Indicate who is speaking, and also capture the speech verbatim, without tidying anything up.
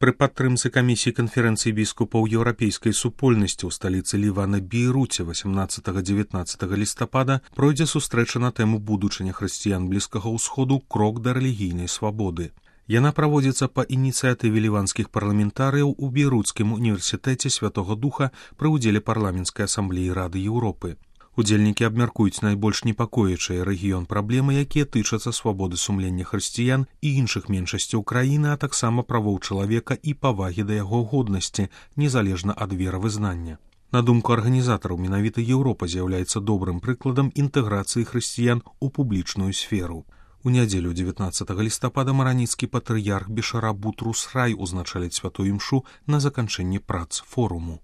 Speaker 1: Пры падтрымцы камісіі канферэнцыі біскупаў еўрапейскай супольнасці ў сталіцы Лівана Бейруце васямнаццатага-дзевятнаццатага лістапада пройдзе сустрэча на тэму будучыня хрысціян Блізкага ўсходу крок да рэлігійнай свабоды. Яна праводзіцца па ініцыятыве ліванскіх парламентарыяў у Бейруцкім універсітэце Святога Духа пры ўдзеле парламенцкай асамблеі Рады Еўропы. Удзельнікі абмяркуюць найбольш непакоячыя рэгіён праблемы, якія тычацца свабоды сумлення хрысціян і іншых меншасцяў краіны, а таксама правоў чалавека і павагі да яго годнасці, незалежна ад веравызнання. На думку арганізатараў, менавіта Еўропа з'яўляецца добрым прыкладам інтэграцыі хрысціян у публічную сферу. У нядзелю дзевятнаццатага лістапада мараніцкі патрыярх Бешара Бутрус Рай узначаліць святую імшу на заканчэнні прац форуму.